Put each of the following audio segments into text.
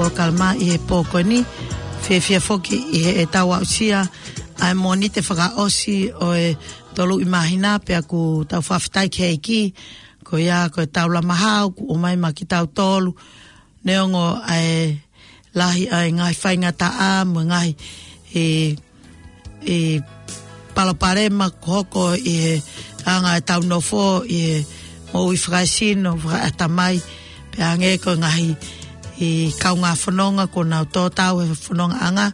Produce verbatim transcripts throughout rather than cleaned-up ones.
Polokalama ʻi he pō ko eni, fiefia foki ʻi heʻetau aʻusia ʻa e Mōnite fakaʻosi ʻo e tolu ʻi māhina, pea ʻoku tau fakafetaʻi ki he ʻEiki, ko ia ko e taula maha ʻoku ʻomai maʻa kitautolu, neongo ʻa e lahi ʻa e ngaahi faingataʻa mo e ngaahi, ʻe, ʻe palopalema ʻoku hoko ʻi he anga ʻetau nofo ʻi he moʻui fakaesino, fakaʻatamai, pea hangē ko e ngaahi, ʻe, kaungā fononga kuo nau tō tau he fonongaʻanga.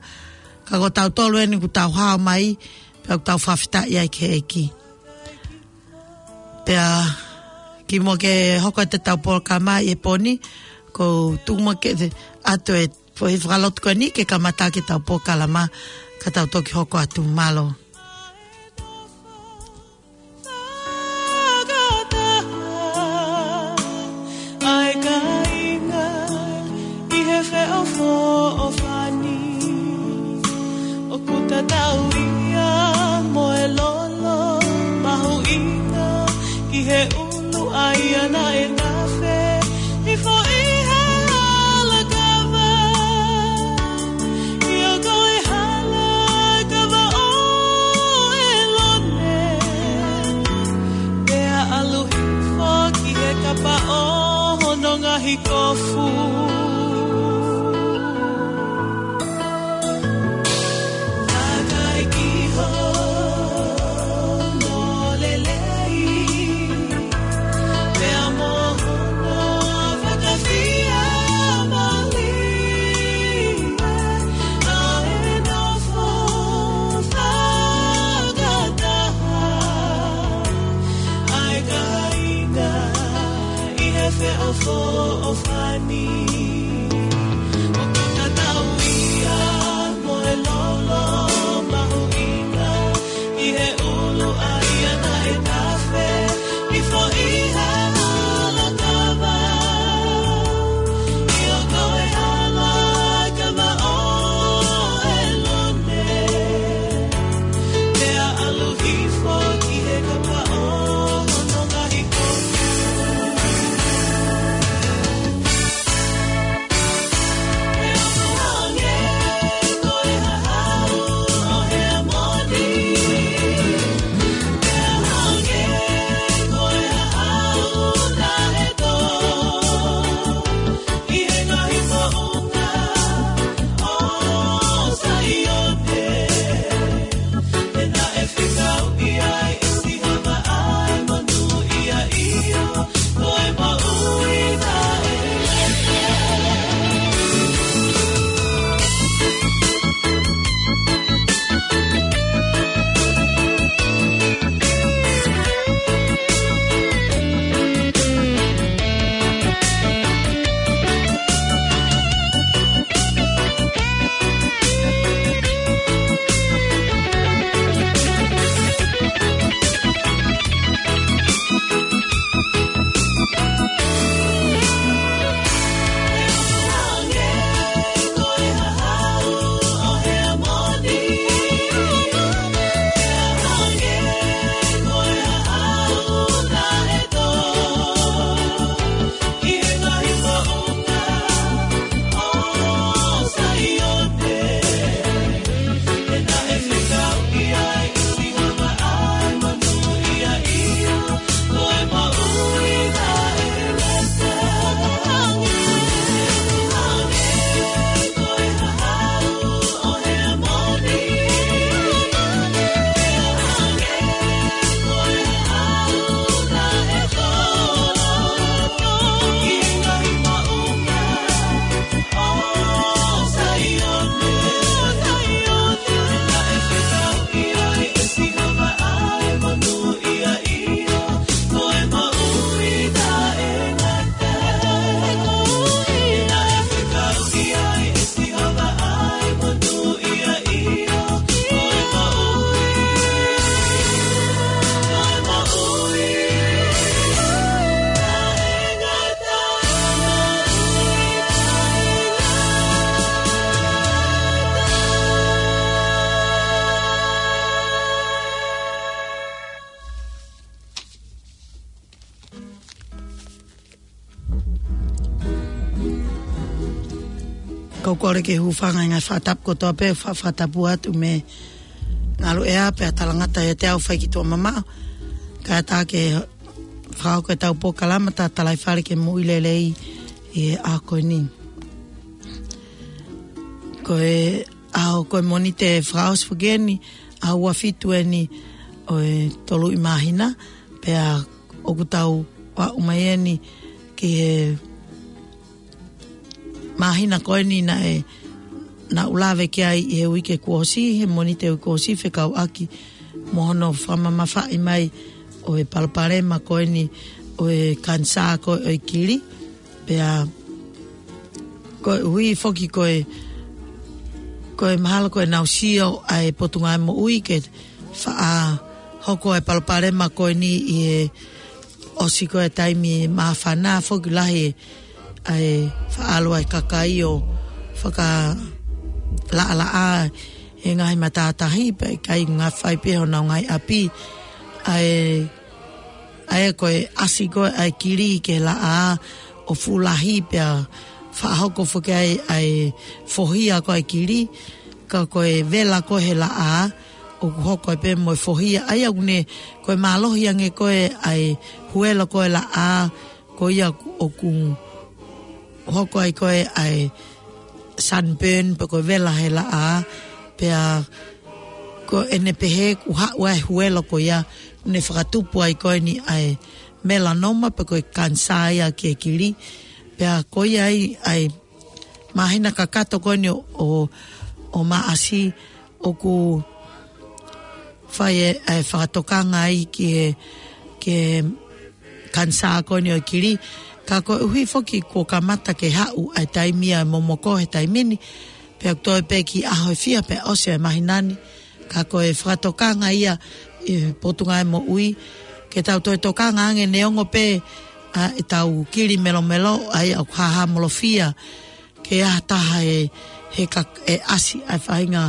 Ka ko tautolu eni ʻoku tau hao mai, pea ʻoku tau fakafetaʻi ai ki he ʻEiki. Pea kimuʻa ke hoko atu ʻetau polokalama ʻi he pō ni, ʻoku ou tuku muʻa ke te ʻoatu e foʻi fakalotu ko eni ke kamata ʻetau polokalama, ka tau toki hoko atu. Mālō. Fakataha ʻa e kāinga ʻi he feʻofoʻofani. ʻOku tatau ia mo e lolo mahuʻinga ki he ʻulu ʻa ia naʻe tafe hifo ʻi he hala kava. ʻIo ko e hala kava ʻo ʻElone, pea ʻalu hifo ki he kapa ʻo hono ngaahi kofu. Naʻe ʻikai ke hono lelei, pea mo hono fakafiemālie, naʻe nofo fakataha ʻa e kāinga ʻi he feʻofoʻofani. ʻOku tatau ia mo e lolo mahuʻinga ʻi he ʻulu ʻa ia naʻe tafe hifo ʻi he hala kava. ʻIo ko e hala kava ʻo ʻElone, pea ʻalu hifo ki he kapa ʻo hono ngaahi kofu. Kau kole ke hūfanga ʻi he ngaahi fakatapu kotoa pē, fa-, fakatapu atu mei Ngaluʻea pea talangata ʻiate au fai ki tuʻa mamaʻo. Kae ʻatā ke fakahoko ʻetau polokalama Tatalaifale ki he Moʻui Lelei ʻi he ʻaho ko eni. Ko e ʻaho ko e Mōnite fakaʻosi foki eni, ʻaho ua fitu eni ʻo e tolu ʻi māhina, pea ʻoku tau aʻu mai eni ki he māhina ko eni naʻe, naʻa ku lave ki ai ʻi he uike kuo ʻosi, he Mōnite uike kuo ʻosi fekauʻaki mo hono fakamamafaʻi mai ʻo e palopalema ko eni ʻo e kanisā ko ē ʻo e kili. Pea koeʻuhi foki ko e, ko e mahalo ko e naʻa ku sio ʻa e Potungāue Moʻui ke faʻa hoko ʻa e palopalema ko eni ʻi he ʻosi ko ē taimi māfana, foki lahi ʻa e faʻa ʻalu ʻa e kakai ʻo fakalaʻalaʻā ʻi he ngaahi matātahi, pea ʻikai ngāue fai pē honau ngaahi ʻapi. ʻA e, ʻa e ko e ʻasi ko ē ʻa e kili ki he laʻā ʻo fuʻu lahi pea faʻa hoko foki ai ʻa e fohia ko ē ʻa e kili, ka ko e vela ko ē he laʻā, ʻoku hoko ai pē mo e fohia, ʻa ia ʻoku ne, ko e mālohi ange ko ē ʻa e huelo ko ē laʻā, ko ia ʻoku hoko ai ko ē ʻa e sunburn pe ko e vela he laʻā, pea ko ʻene pehē ʻoku haʻu ʻa e huelo ko ia, ne fakatupu ai ko eni ʻa e melanoma pe ko e kanisā ia ki he kili, pea ko ia ai ʻa e māhina kakato ko eni ʻo, ʻo, ʻo Maʻasi, ʻoku fai e, e fakatokanga ai ki he, ki he kanisā ko eni ʻo e kili. Ka koeʻuhi foki kuo kamata ke haʻu ʻa e taimi ʻa e momoko he taimi ni, pea ʻoku toe pē ki he ʻaho ʻe fiha pea ʻosi e māhina ni. Ka ko e fakatokanga ia ʻi he Potungāue Moʻui, ke tau toe tokanga ange neongo pē ʻa ʻetau kili melomelo, ʻa ia ʻoku hāhāmolofia ke ʻi ai ha taha ʻe, he ka-, ʻe ʻasi ʻa e faʻahinga,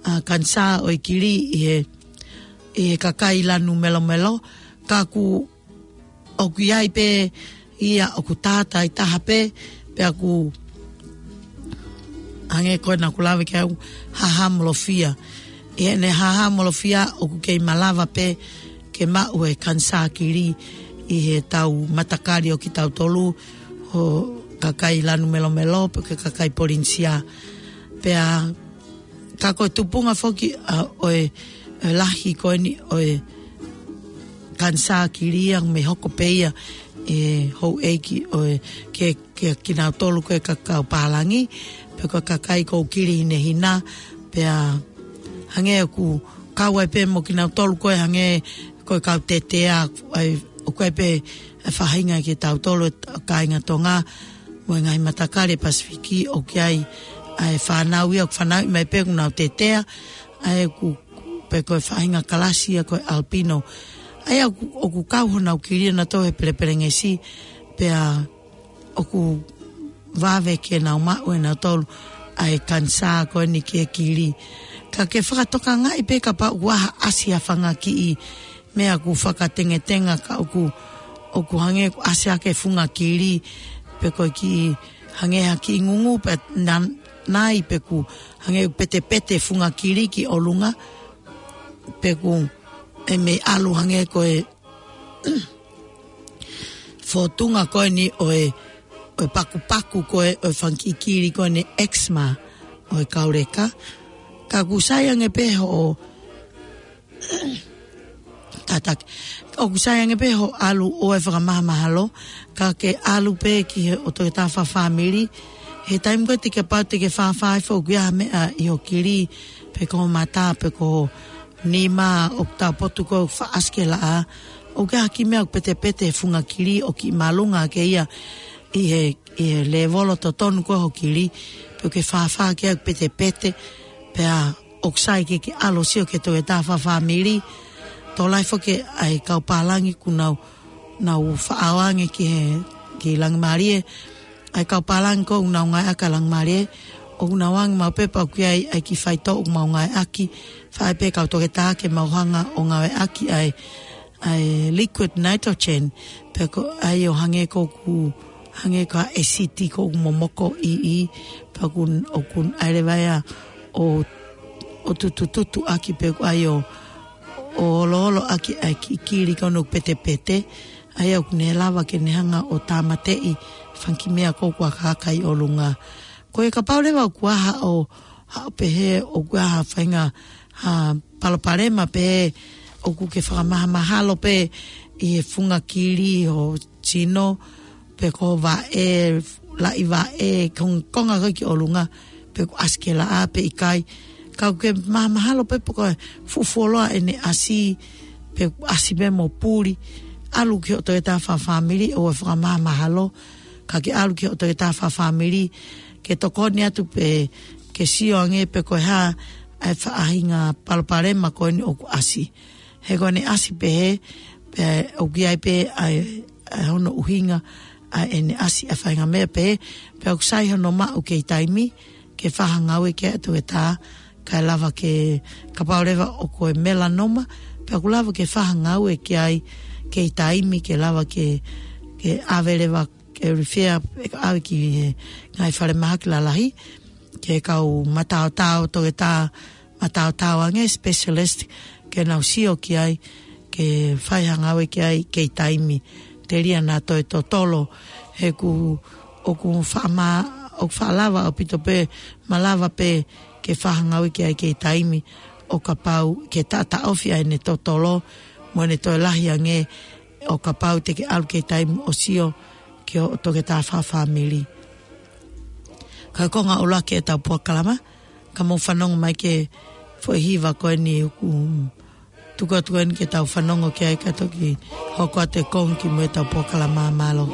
ʻa, kanisā ʻo e kili ʻi he, ʻi he kakai lanu melomelo, ka ʻoku, ʻoku ʻi ai pē ia ʻoku tātai taha pē, pea ʻoku hangē ko ē naʻa ku lave ki ai, hāhāmolofia. ʻI heʻene hāhāmolofia ʻoku kei malava pē ke maʻu e kanisā kili ʻi heʻetau matakali ʻo kitautolu ʻo e kakai lanu melomelo pe ko e kakai Polinisia. Pea ka ko e tupunga foki, ʻa, ʻo e, e lahi ko eni ʻo e kanisā kili ia mei hoko pē ia ʻe houʻeiki ʻo e ke, ke kinautolu ko ē ka kau pālangi, pe ko e kakai ʻoku kili hinehina, pea hangē ʻoku kau ai pē mo kinautolu ko ē hangē ko e kau tetea, ʻa ia ʻoku ʻi ai pē e faʻahinga kitautolu ʻa e kāinga Tonga mo e ngaahi matakali ʻa e Pasifiki ʻoku ʻi ai ʻa e fānau ia ʻoku fanauʻi mai pē ʻoku nau tetea, ʻa ia ʻoku, pe ko e faʻahinga kalasi ia ko e albino. ʻA ia ʻoku, ʻoku kau honau kili ʻanautolu he pelepelengesi, pea ʻoku vave ke nau maʻu ʻenautolu ʻa e kanisā ko eni ki he kili. Ka ke fakatokangaʻi pē kapau ʻoku ʻasi ha fanga kiʻi meʻa ʻoku fakatengetenga ka ʻoku, ʻoku hangē ʻoku ʻasi hake funga kili, pe ko e kiʻi hangē ha kiʻi ngungu pe na-, nai pe ʻoku hangē ʻoku petepete funga kili ki ʻolunga, pe ʻoku ʻi ai e meʻa ʻalu hangē ko e fōtunga ko eni ʻo e, ʻo e pakupaku ko ē ʻo e fanga kiʻi kili ko eni eczema ʻo e kau leka. Ka ʻoku sai ange pē hoʻo, tataki. ʻOku sai ange pē hoʻo ʻalu ʻo e fakamahamahalo, ka ke ʻalu pē ki he ʻo toketā fakafāmili. He taimi ko ē te ke pau te ke fāfā ai foki ha meʻa ʻi ho kili, pe ko ho mata, pe ko ho nima, ʻoku tau potu ko ē ʻoku faʻa ʻasi ki he laʻā, ʻoku ʻi ai ha kiʻi meʻa ʻoku petepete he funga kili ʻoku kiʻi māʻolunga hake ia ʻi he, ʻi he lēvolo totonu ko ē ho kili, pe ʻoku ke fāfā hake ʻoku petepete, pea ʻoku sai ke ke ʻalu ʻo sio ki he toketā fakafāmili. Tokolahi foki ʻa e kau pālangi ʻoku nau, nau faʻa ō ange ki he, ki Langimālie. ʻA e kau pālangi ko ē ʻoku nau ngāueʻaki ʻa Langimālie, ʻoku nau ō ange maʻu pē pea ʻoku ʻi ai ʻa e kiʻi faitoʻo ʻoku mau ngāueʻaki, fai pē kau toketā ke mau hanga ʻo ngāueʻaki ʻa e, ʻa e liquid nitrogen, pe ko e ʻai ʻo hangē ko ʻeku Hangē ko e ʻesiti ko ʻoku momoko ʻi ʻi, pea ʻoku, ʻoku ʻai leva ia ʻo, ʻo tutututu ʻaki pe ʻoku ʻai ʻo, ʻo oloolo ʻaki ʻa e kiʻi kili ko ē ʻoku petepete, ʻa ia ʻoku ne lava ke ne hanga ʻo tāmateʻi e fanga kiʻi meʻa ko ē ʻoku akaaka ʻi ʻolunga. Ko e kapau leva ʻoku ʻi ai haʻo, haʻo pehē ʻoku ʻi ai ha faʻahinga, ha palopalema pē ʻoku ke fakamahamahalo pē ʻi he funga kili ʻo e tino, pe ko e vaʻe, laʻi vaʻe, ko e konga ko ē ki ʻolunga, pe ʻoku ʻasi ke laʻā pe ʻikai. Ka ʻoku ke mahamahalo pē pe ko e fuʻu fuoloa ʻene ʻasi, pe ʻoku ʻasi pē mo puli. ʻAlu ki hoʻo toketā fakafāmili ʻo fakamahamahalo, ka ke ʻalu ki hoʻo toketā fakafāmili, ke tokoni atu pē ke sio ange pe ko e hā ʻa e faʻahinga palopalema ko eni ʻoku ʻasi. He ko ʻene ʻasi pehē, pea ʻoku ʻi ai pē ʻa e, ʻa e hono ʻuhinga ʻa ʻene ʻasi ʻa e faʻahinga meʻa pehē, pea ʻoku sai hono maʻu kei taimi, ke fakangāue ki ai ʻa e toketā, kae lava ke, kapau leva ʻoku ko e melanoma, pea ʻoku lava ke fakangāue ki ai kei taimi, ke lava ke, ke ʻave leva, ke refer, ke ʻave ki he ngaahi falemahaki lalahi, ki he kau mataotao, toketā mataotao ange, specialist, ke nau sio ki ai, ke fai ha ngāue ki ai kei taimi, telia naʻa toe totolo, he ʻoku, ʻoku faʻa ma-, ʻoku faʻa lava ʻaupito pē, malava pē ke fai ha ngāue ki ai kei taimi, ʻo kapau ke taʻataʻofi ʻa ʻene totolo, mo ʻene toe lahi ange, ʻo kapau te ke ʻalu kei taimi ʻo sio ki hoʻo toketā fakafāmili. Ka ko e konga ʻuluaki ʻetau polokalama, ka mou fanongo mai ki he foʻi hiva ko eni ʻoku tuku atu ko eni ke tau fanongo ki ai kae toki hoko atu e konga ki mui ʻetau polokalama, mālō.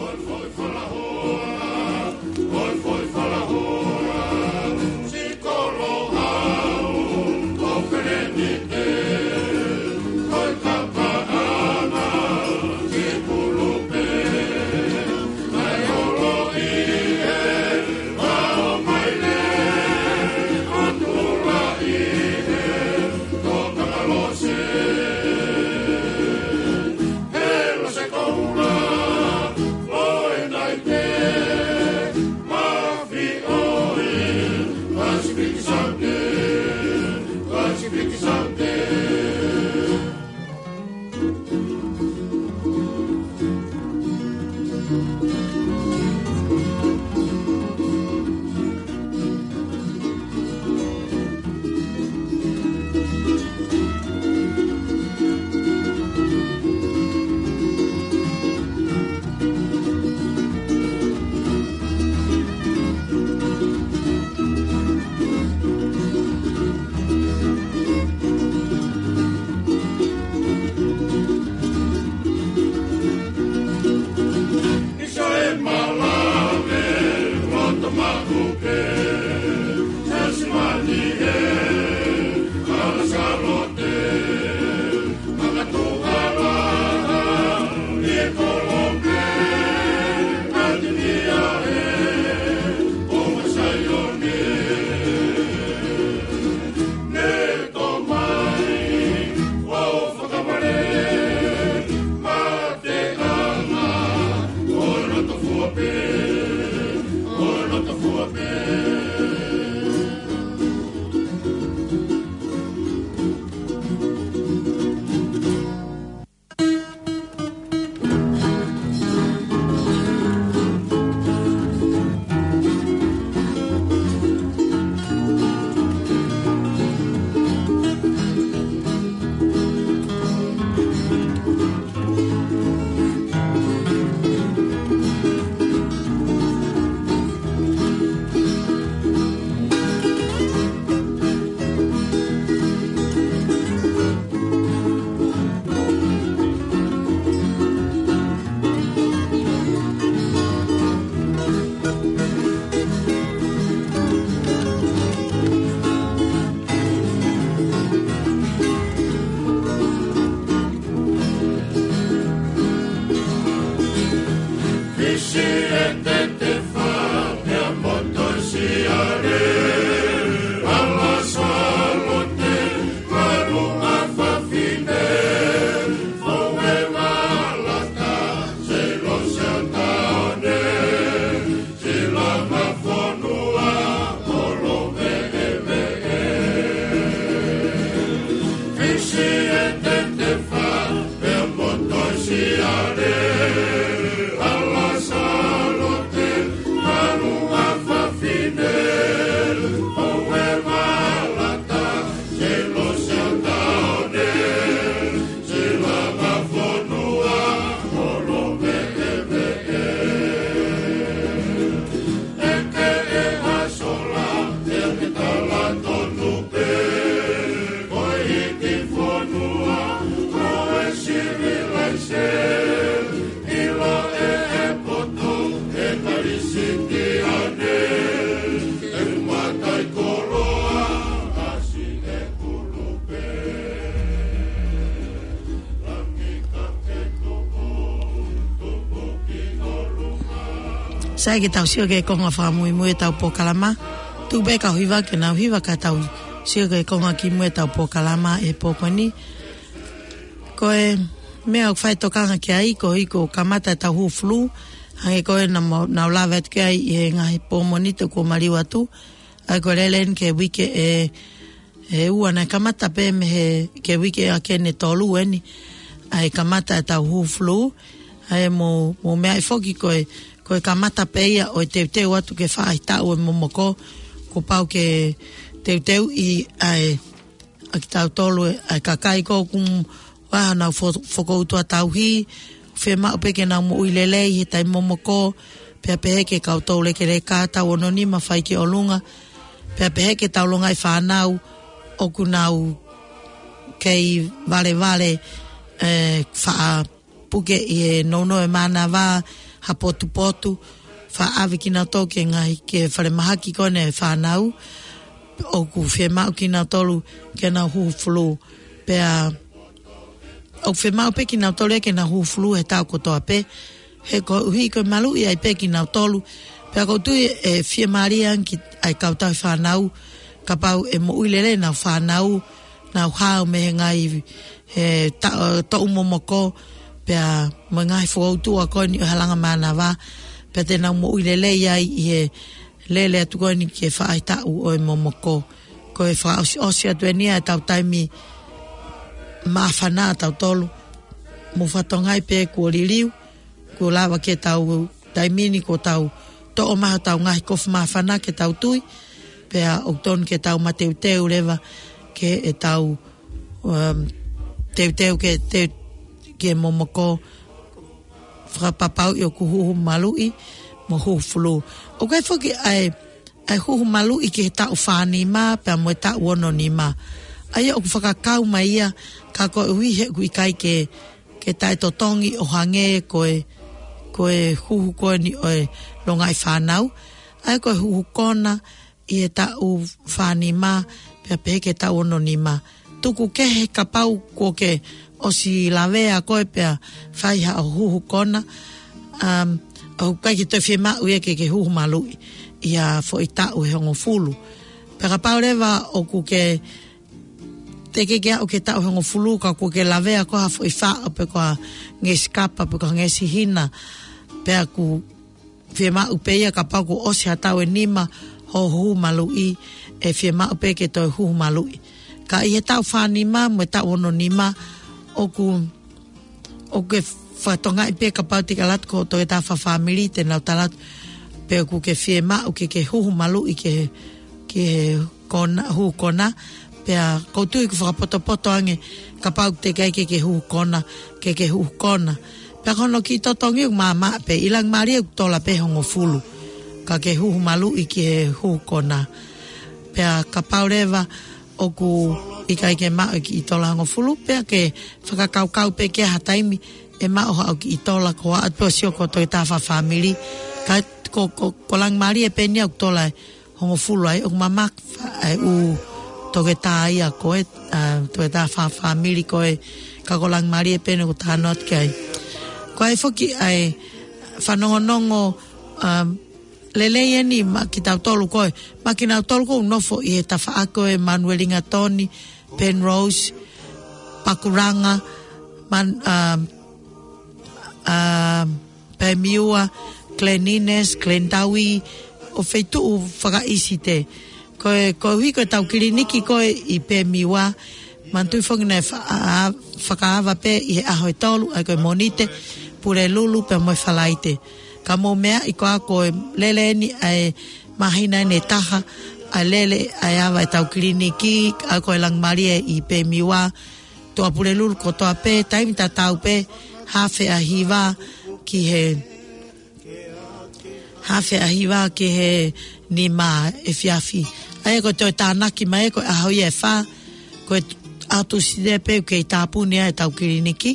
Sai ke tau sio ki he konga fakamuimui ʻetau polokalama. Tuku pē kau hiva ke nau hiva ka tau sio ki he konga kimui ʻetau polokalama he pō ko eni. Ko e meʻa ʻoku fai tokanga ki ai, ko e hiko kamata ʻetau hū fulū, hangē ko e naʻa mo-, naʻa ku lave atu ki ai ʻi he ngaahi pō Mōnite kuo maliu atu, ʻa ia ko e lele eni ki he uike ʻe, ʻe ua naʻe kamata pē mei he, ki he uike ʻa Keni tolu eni, ʻa e kamata ʻetau hū fulū, ʻa ia mo, mo meʻa ʻi foki ko e, ko e kamata pē ia ʻo e teuteu atu ke faʻahitaʻu e momoko, kuo pau ke teuteuʻi ʻa e ʻa kitautolu ʻa e kakai ko ē ʻoku ʻi ai haʻanau fo-, fokoutua tauhi, fiemaʻu pē ke nau moʻui lelei he taimi momoko, pea pehē ki he kau toulekeleka taʻu ono nima fai ki ʻolunga, pea pehē ki he taulongaʻi fānau ʻoku nau kei valevale, ē, faʻa puke ʻi he nounou e mānava, ha potupotu, faʻa ʻave kinautolu ki he ngaahi, ki he falemahaki ko eni e fānau, ʻoku fiemaʻu kinautolu ke nau hū fulū. Pea, ʻoku fiemaʻu pē kinautolu ia ke nau hū fulū he taʻu kotoa pē, he koeʻuhi ko e maluʻi ai pē kinautolu. Pea ʻoku ou tui ʻe fiemālie ange ki ai kau tauhi fānau, kapau ʻe moʻui lelei ʻenau fānau, nau hao mei he ngaahi, he ta-, toʻu momoko, pea mo e ngaahi fokoutua ko eni ʻo e halanga mānava, pea te nau moʻui lelei ai ʻi he lele atu ko eni ki he faʻahitaʻu ʻo e momoko. Ko e fakaʻosiʻosi atu eni ia ʻetau taimi māfana ʻatautolu. Mou fakatokangaʻi pē kuo liliu, kuo lava ke tau taimi ni kuo tau toʻo mai hotau ngaahi kofu māfana ke tau tui, pea ʻoku tonu ke tau mateuteu leva ke ʻetau, um, teuteu ke te-, ke momoko fakapapauʻi ʻoku huhu maluʻi mo huhu fulū. ʻOku ʻi ai foki ʻa e, ʻa e huhu maluʻi ki he taʻu fā nima pea mo e taʻu ono nima. ʻA ia ʻoku fakakau mai ia ka koeʻuhi he ʻoku ʻikai ke, ke taʻetotongi ʻo hangē ko e, ko e huhu ko eni ʻo e longaʻi fānau. ʻA ia ko e huhu kona ʻi he taʻu fā nima pea pehē ki he taʻu ono nima. Tuku kehe kapau kuo ke ʻosi lavea koe pea fai haʻo huhu kona. Um, ʻoku ʻikai ke toe fiemaʻu ia ke ke huhu maluʻi ʻi ha foʻi taʻu ʻe hongofulu. Pea kapau leva ʻoku ke teʻeki ke aʻu ki he taʻu ʻe hongofulu ka kuo ke lavea ko ha foʻi faʻo pe ko ha ngeʻesi kapa pe ko ha ngeʻesi hina. Pea ʻoku fiemaʻu pē ia kapau kuo ʻosi ha taʻu ʻe nima hoʻo huhu maluʻi, ʻe fiemaʻu pē ke toe huhu maluʻi. Ka ʻi he taʻu fā nima mo e taʻu ono nima ʻoku, ʻoku ke fakatokangaʻi pē kapau te ke ʻalu atu ki hoʻo toketā fakafāmili te nau tala atu pe ʻoku ke fiemaʻu ke ke huhu maluʻi ki he, ki he kona, huhu kona, pea ʻoku ou tui ʻoku fakapotopoto ange kapau te ke ʻai ke ke huhu kona, ke ke huhu kona. Pea ko hono kiʻi totongi ʻoku māmaʻa pē, ʻi langi mālie ʻoku tola pē hongofulu, ka ke huhu maluʻi ki he huhu kona. Pea kapau leva ʻoku ʻikai ke maʻu e kiʻi tola hongofulu, pea ke fakakaukau pē ki ha taimi ʻe maʻu haʻo kiʻi tola ko ā atu pē ʻo sio ki hoʻo toketā fakafāmili. Ka ko, ko, ko langi mālie pē eni ʻoku tola e hongofulu ai, ʻoku mamake ʻa e ʻū toketā ia ko ē, ʻa, toketā fakafāmili ko ē, ka ko langi mālie pē eni ʻoku talanoa atu ki ai. Ko e foki ʻa e fanongonongo, um, lelei eni maʻa kitautolu ko ē, maʻa kinautolu ʻoku nofo ʻi he tafaʻaki ko ē Manuelingatoni, Penrose, Pakuranga, Man-, um, um, Pemiua, Glen Innes, Glendawi, ʻo feituʻu fakaʻisite. Ko e, koeʻuhi ko ʻetau kiliniki ko ē ʻi Pemiua, Manatuʻi foki naʻe fa-, a-, a-, fakaava pē ʻi he ʻaho ʻe tolu, ʻa ia ko e Mōnite, Pulelulu pea mo e Falaite. Ka mou meaʻi ko ā ko e lele eni ʻa e māhina eni ʻe taha, ʻa e lele ʻa e ava ʻetau kiliniki, ʻa ia ko e Langimālie ʻi Pemiwa, Tuʻapulelulu kotoa pē, taimi tatau pē, haafe ʻa hiva ki he, haafe ʻa hiva ki he nima efiafi. ʻA ia ko e toe tānaki mai ko e ʻaho ia ʻe fā, ko e ʻaho Tūsite pē ʻoku kei tāpuni ai ʻetau kiliniki,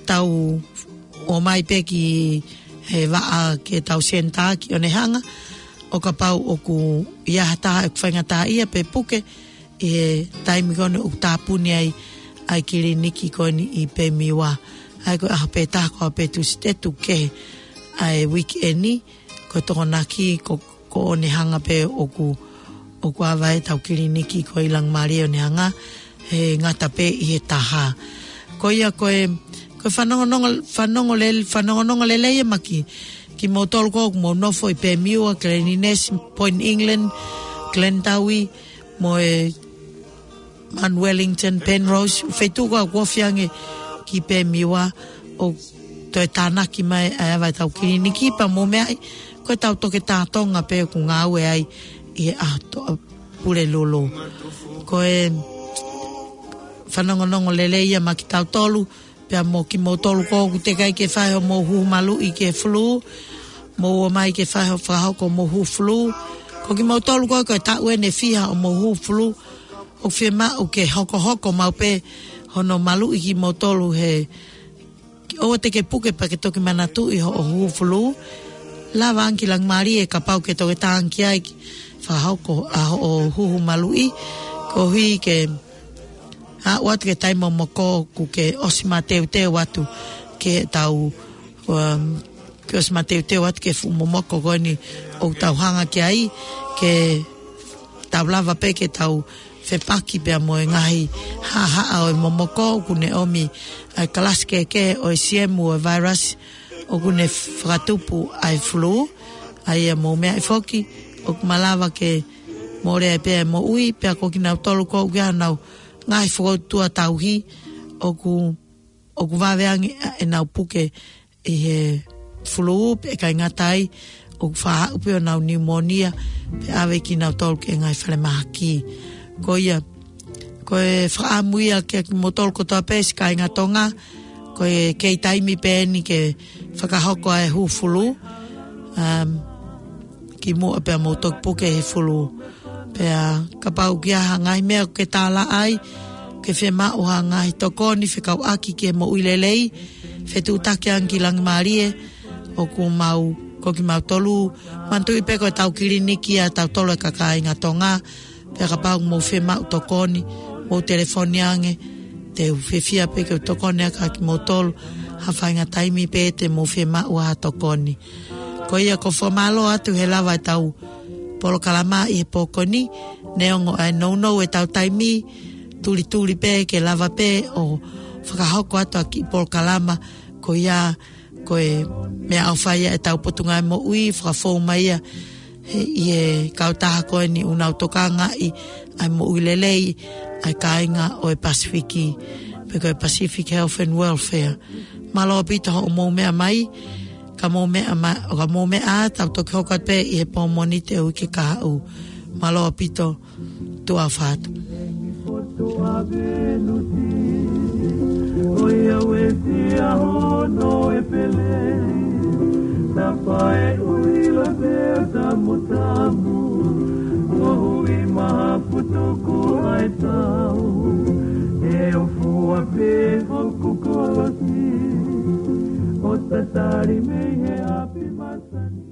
tau ō mai pē ki he vaʻa ke tau senitā ki ʻOnehanga, ʻo kapau ʻoku ʻi ai ha taha ʻoku faingataʻaʻia pe puke, ʻi he taimi ko eni ʻoku tāpuni ai ʻa e kiliniki ko eni ʻi Pemiwa. ʻA ia ko e ʻaho pē taha ko ē pē Tūsite tuku kehe ʻa e uike eni, ko e Tokonaki ko, ko ʻOnehanga pē ʻoku, ʻoku ava ai ʻetau kiliniki ko ē ʻi Langimālie ʻOnehanga, he ngata pē ʻi he taha. Ko ia ko e, ko e fanongonongo, fanongo lel-, fanongonongo lelei ia maʻa kimoutolu ko ē ʻoku mou nofo ʻi Pemiwa, Glen Innes, Point England, Glendawi, mo e Mount Wellington, Penrose, feituʻu ko ē ʻoku ofi ange ki Pemiwa, ʻo toe tānaki mai ʻa e ava ʻetau kiliniki pea mou meaʻi, ko ʻetau toketā Tonga pē ʻoku ngāue ai ʻi he ʻaho Tuʻapulelulu. Ko e fanongonongo lelei ia maʻa kitautolu, pea mo kimoutolu ko ē ʻoku teʻeki ai ke fai hoʻomou huhu maluʻi ki he fulū, mou ō mai ke fai hoʻo fakahoko hoʻomou huhu fulū. Ko kimoutolu ko ē ko e taʻu eni ʻe fiha hoʻomou huhu fulū, ʻoku fiemaʻu ke hokohoko maʻu pē hono maluʻi kimoutolu he ʻoua te ke puke pea ke toki manatuʻi hoʻo huhu fulū. Lava ange ki Langimālie kapau ʻoku ke toketā ange ki ai ke fakahoko ʻa hoʻo huhu maluʻi, koeʻuhi ke aʻu atu ki he taimi momoko kuo ke ʻosi mateuteu atu ki heʻetau, um, ke ʻosi mateuteu atu ki he fuʻu momoko ko eni ʻoku tau hanga ki ai, ke tau lava pē ke tau fepaki pea mo e ngaahi haʻahaʻa ʻo e momoko, ʻoku ne ʻomi ʻa e kalasi kehekehe ʻo e siemu ʻo e vailasi ʻoku ne fakatupu ʻa e fulū. ʻA ia mou meaʻi foki, ʻoku malava ke mole ai pē ʻa e moʻui, pea ko kinautolu ko ē ʻoku ʻi ai haʻanau ngaahi fokoutua tauhi, ʻoku, ʻoku vave ange ʻenau puke ʻi he fulū, pea ʻikai ngata ai, ʻoku faʻa aʻu pē honau niumōnia, pea ʻave kinautolu ki he ngaahi falemahaki. Ko ia, ko e fakaʻamu ia kiate kimoutolu kotoa pē siʻi kāinga Tonga, ko e kei taimi pē eni ke fakahoko ʻa e huhu fulū, um, kimuʻa pea mou toki puke he fulū. Pea kapau ʻoku ʻi ai ha ngaahi meʻa ʻoku ke tālaʻa ai, ʻoku ke fiemaʻu ha ngaahi tokoni fekauʻaki ki he moʻui lelei, fetuʻutaki ange ki Langimālie, ʻoku mau, ko kimautolu, manatuʻi pē ko ʻetau kiliniki ʻatautolu ʻa e kāinga Tonga, pea kapau ʻoku mou fiemaʻu tokoni, mou telefoni ange, te u fiefia pē ke u tokoni ʻaki kimoutolu, ha faʻahinga taimi pē te mou fiemaʻu ha tokoni. Ko ia ʻoku ou fakamālō atu he lava ʻetau polokalama ʻi he pō ko eni, neongo ʻa e nounou ʻetau taimi, tulituli pē ke lava pē ʻo fakahoko atu ʻa e kiʻi polokalama, ko ia ko e meʻaʻofa ia ʻetau Potungāue Moʻui, fakafou mai ia he, ʻi he kautaha ko eni ʻoku nau tokangaʻi ʻa e moʻui lelei ʻa e kāinga ʻo e Pasifiki, pe ko e Pacific Health and Welfare. Mālō ʻaupito hoʻomou meʻa mai, ka mou meʻa ma-, ka mou meʻa ā, tau toki hoko atu pē ʻi he pō Mōnite ʻo e uike kahaʻu. Mālō ʻaupito, tuʻa ʻofa atu. ʻOiauē, sia hono e pele, tapae ui la pea tamu tamu, ʻo hui maha putuku ai tau, ʻe o fua pē hoku kolosi, ʻo tatali mei he ʻapi masani.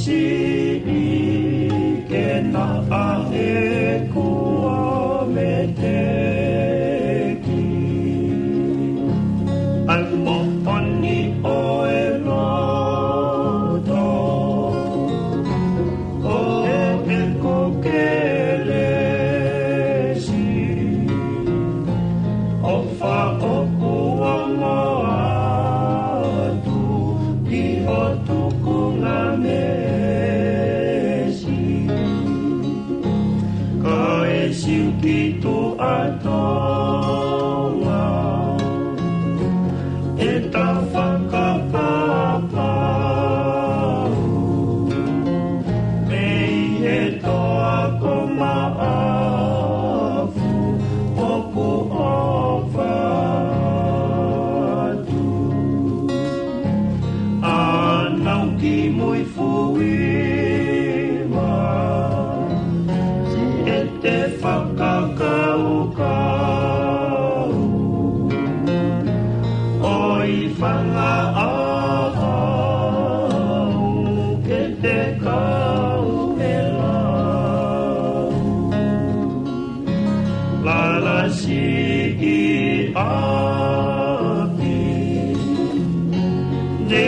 Siʻi ke naʻa ʻeku ʻometeki ʻa e moʻoni ʻo e loto ʻo ʻeku kelesi, ʻo fakaʻokuongo atu ki ho tukunga meesi. Kae siʻi ki tuʻa Tonga ʻeta fakapapau mei he toa ko Maʻafu, ʻoku ʻofa atu ʻa Naukimuifuima. Siʻete fakakaukau ʻo e fanga ʻaho ke te kau e lau. Lala siʻi ʻapi, ne